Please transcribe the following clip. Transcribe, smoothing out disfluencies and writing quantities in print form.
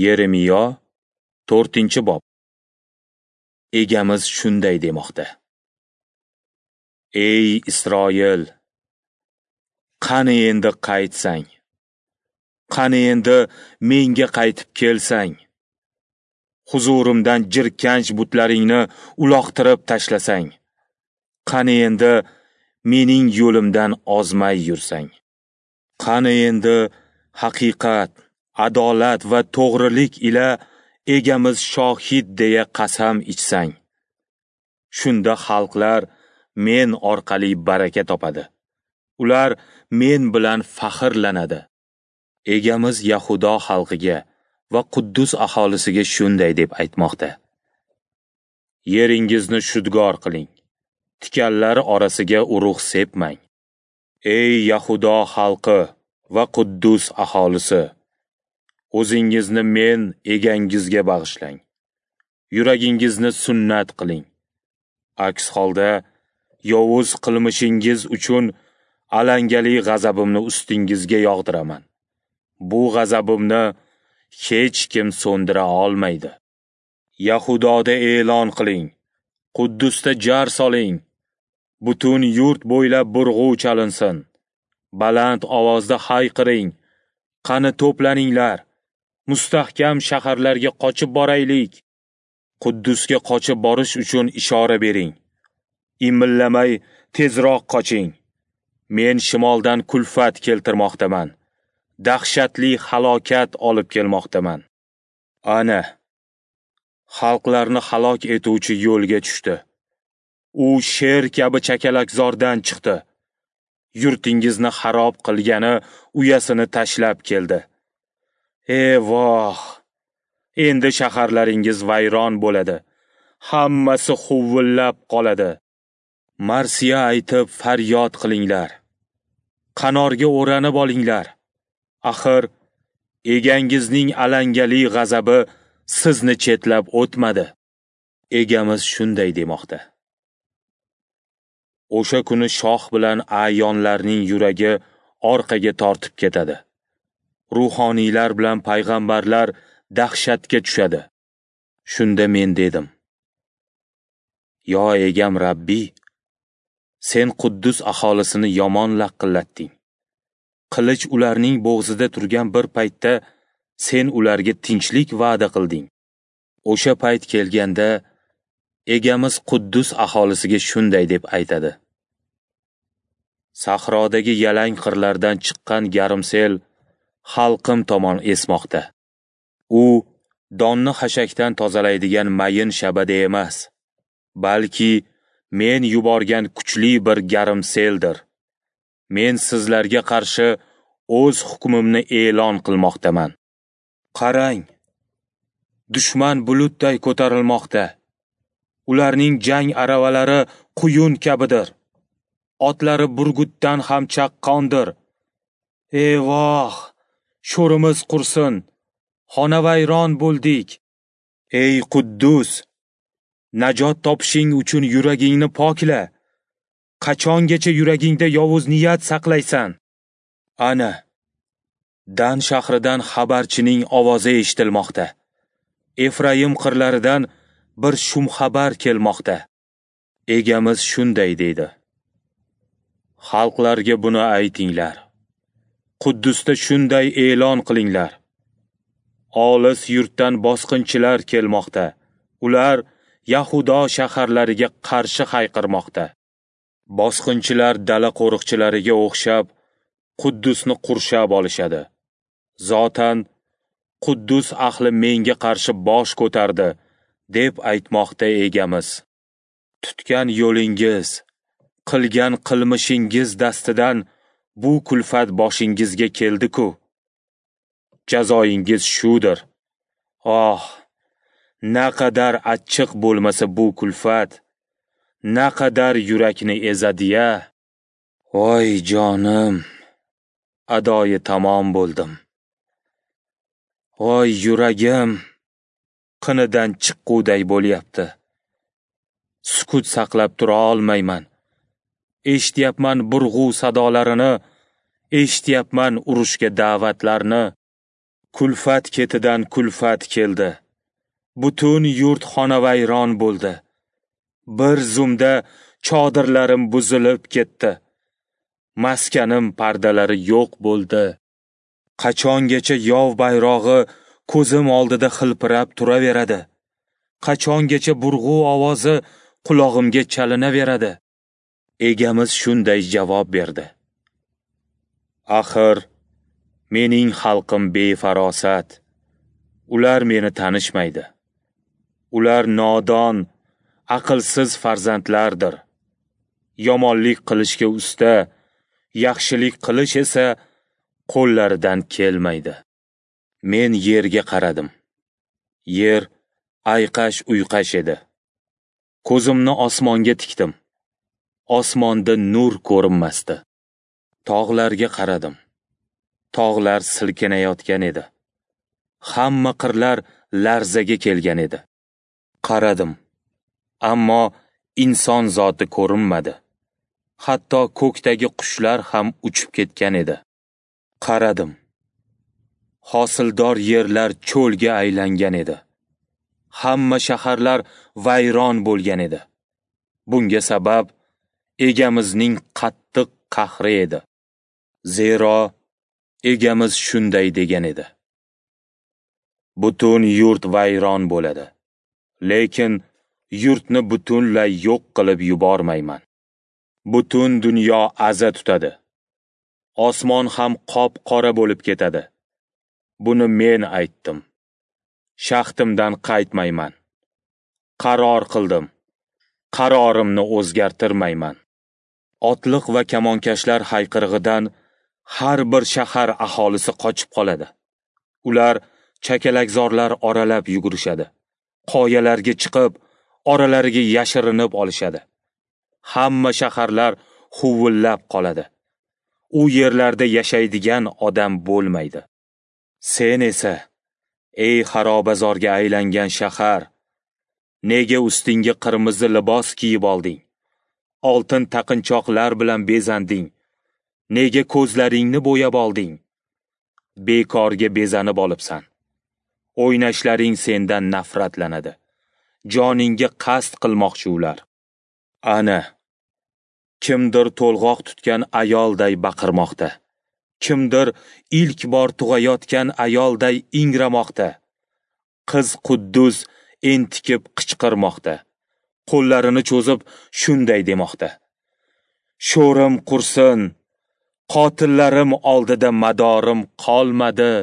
Yeremiyo 4-bob. Egamiz shunday demoqda: Ey Isroil, qani endi qaytsang? Qani endi menga qaytib kelsang? Huzurimdan jirkanch butlaringni uloqtirib tashlasang? Qani endi mening yo'limdan ozmay yursang? Qani endi haqiqat, adolat va to'g'rilik ila egamiz shohid deya qasam ichsang? Shunda xalqlar men orqali baraka topadi. Ular men bilan faxrlanadi. Egamiz Yahudo xalqiga va Quddus aholisiga shunday deb aytmoqda: Yeringizni shudgor qiling, tikanlar orasiga urug' sepmang. Ey Yahudo xalqi va Quddus aholisi, o'zingizni men egangizga bag'ishlang. Yuragingizni sunnat qiling. Aks holda yovuz qilmishingiz uchun alangali g'azabimni ustingizga yog'diraman. Bu g'azabimni hech kim so'ndira olmaydi. Yahudoda e'lon qiling, Quddusda jar soling. Butun yurt bo'ylab burg'u chalinsin. Baland ovozda hayqiring. Qani to'planinglar. Mustahkam shaharlarga qochib boraylik. Quddusga qochib borish uchun ishora bering. Imillamay tezroq qoching. Men shimoldan kulfat keltirmoqdaman. Dahshatli halokat olib kelmoqdaman. Ana, xalqlarni halok etuvchi yo'lga tushdi. U sher kabi chakalakzordan chiqdi. Yurtingizni xarob qilgani uyasini tashlab keldi. Voh! Endi shaharlaringiz vayron bo'ladi. Hammasi huvillab qoladi. Marsiya aytib faryod qilinglar. Qanorga o'ranib olinglar. Axir egangizning alangali g'azabi sizni chetlab o'tmadi. Egamiz shunday demoqda: O'sha kuni shoh bilan a'yonlarning yuragi orqaga tortib ketadi. Ruhoniylar bilan payg'ambarlar dahshatga tushadi. Shunda men dedim: Yo egam Rabbi, sen Quddus aholisini yomon laqillatding. Qilich ularning bo'g'zida turgan bir paytda sen ularga tinchlik va'da qilding. O'sha payt kelganda egamiz Quddus aholisiga shunday deb aytadi: Sahrodagi yalang qirlardan chiqqan garmsel xalqim tomon esmoqda. U donni xashakdan tozalaydigan mayin shabada emas, balki men yuborgan kuchli bir garmseldir. Men sizlarga qarshi o'z hukmimni e'lon qilmoqdaman. Qarang, dushman bulutday ko'tarilmoqda. Ularning jang aravalari quyun kabidir. Otlari burgutdan ham chaqqondir. Voh, sho'rimiz qursin, xonavayron bo'ldik. Ey Quddus, najot topishing uchun yuragingni pokla. Qachongacha yuragingda yovuz niyat saqlaysan? Ana, Dan shahridan xabarchining ovozi eshitilmoqda. Efraim qirlaridan bir shum xabar kelmoqda. Egamiz shunday deydi: Xalqlarga buni aytinglar. Quddusda shunday e'lon qilinglar. Olis yurtdan bosqinchilar kelmoqda. Ular Yahudo shaharlariga qarshi hayqirmoqda. Bosqinchilar dala qo'riqchilariga o'xshab Quddusni qurshab olishadi. Zotan Quddus ahli menga qarshi bosh ko'tardi, deb aytmoqda egamiz. Tutgan yo'lingiz, qilgan qilmishingiz dastidan bu kulfat boshingizga keldi-ku. Jazoyingiz shudir. Oh, naqadar achchiq bo'lmasa bu kulfat, naqadar yurakni ezadi-ya. Voy jonim, adoyi tamom bo'ldim. Voy yuragim, qinidan chiqquday bo'lyapti. Sukut saqlab tura olmayman. Eshityapman burg'u sadolarini, eshityapman urushga da'vatlarni. Kulfat ketidan kulfat keldi. Butun yurt xonavayron bo'ldi. Bir zumda chodirlarim buzilib ketdi. Maskanim pardalari yo'q bo'ldi. Qachongacha yov bayrog'i ko'zim oldida xilpirab turaveradi? Qachongacha burg'u ovozi qulog'imga chalinaveradi? Egamiz shunday javob berdi: Axir mening xalqim befarosat. Ular meni tanishmaydi. Ular nodon, aqlsiz farzandlardir. Yomonlik qilishga usta, yaxshilik qilish esa qo'llaridan kelmaydi. Men yerga qaradim. Yer ayqash-uyqash edi. Ko'zimni osmonga tikdim. Osmonda nur ko'rinmasdi. Tog'larga qaradim. Tog'lar silkinayotgan edi. Hamma qirlar larzaga kelgan edi. Qaradim, ammo inson zoti ko'rinmadi. Hatto ko'kdagi qushlar ham uchib ketgan edi. Qaradim. Hosildor yerlar cho'lga aylangan edi. Hamma shaharlar vayron bo'lgan edi. Bunga sabab Egamizning qattiq qahri edi. Zero Egamiz shunday degan edi: Butun yurt vayron bo'ladi, lekin yurtni butunlay yo'q qilib yubormayman. Butun dunyo aza tutadi. Osmon ham qop-qora bo'lib ketadi. Buni men aytdim. Shaxtimdan qaytmayman. Qaror qildim. Qarorimni o'zgartirmayman. Otliq va kamonkashlar hayqirig'idan har bir shahar aholisi qochib qoladi. Ular chakalakzorlar oralab yugurishadi. Qoyalarga chiqib, oralariga yashirinib olishadi. Hamma shaharlar huvillab qoladi. U yerlarda yashaydigan odam bo'lmaydi. Sen esa, ey xarobazorga aylangan shahar, nega ustingga qirmizi libos kiyib olding? Oltin taqinchoqlar bilan bezanding. Nega ko'zlaringni bo'yab olding? Bekorga bezanib olibsan. O'ynashlaring sendan nafratlanadi. Joningga qasd qilmoqchi ular. Ana, kimdir to'lg'oq tutgan ayolday baqirmoqda. Kimdir ilk bor tug'ayotgan ayolday ingramoqda. Qiz Quddus entikib qichqirmoqda. Qo'llarini cho'zib shunday demoqda: Sho'rim qursin, qotillarim oldida madorim qolmadi.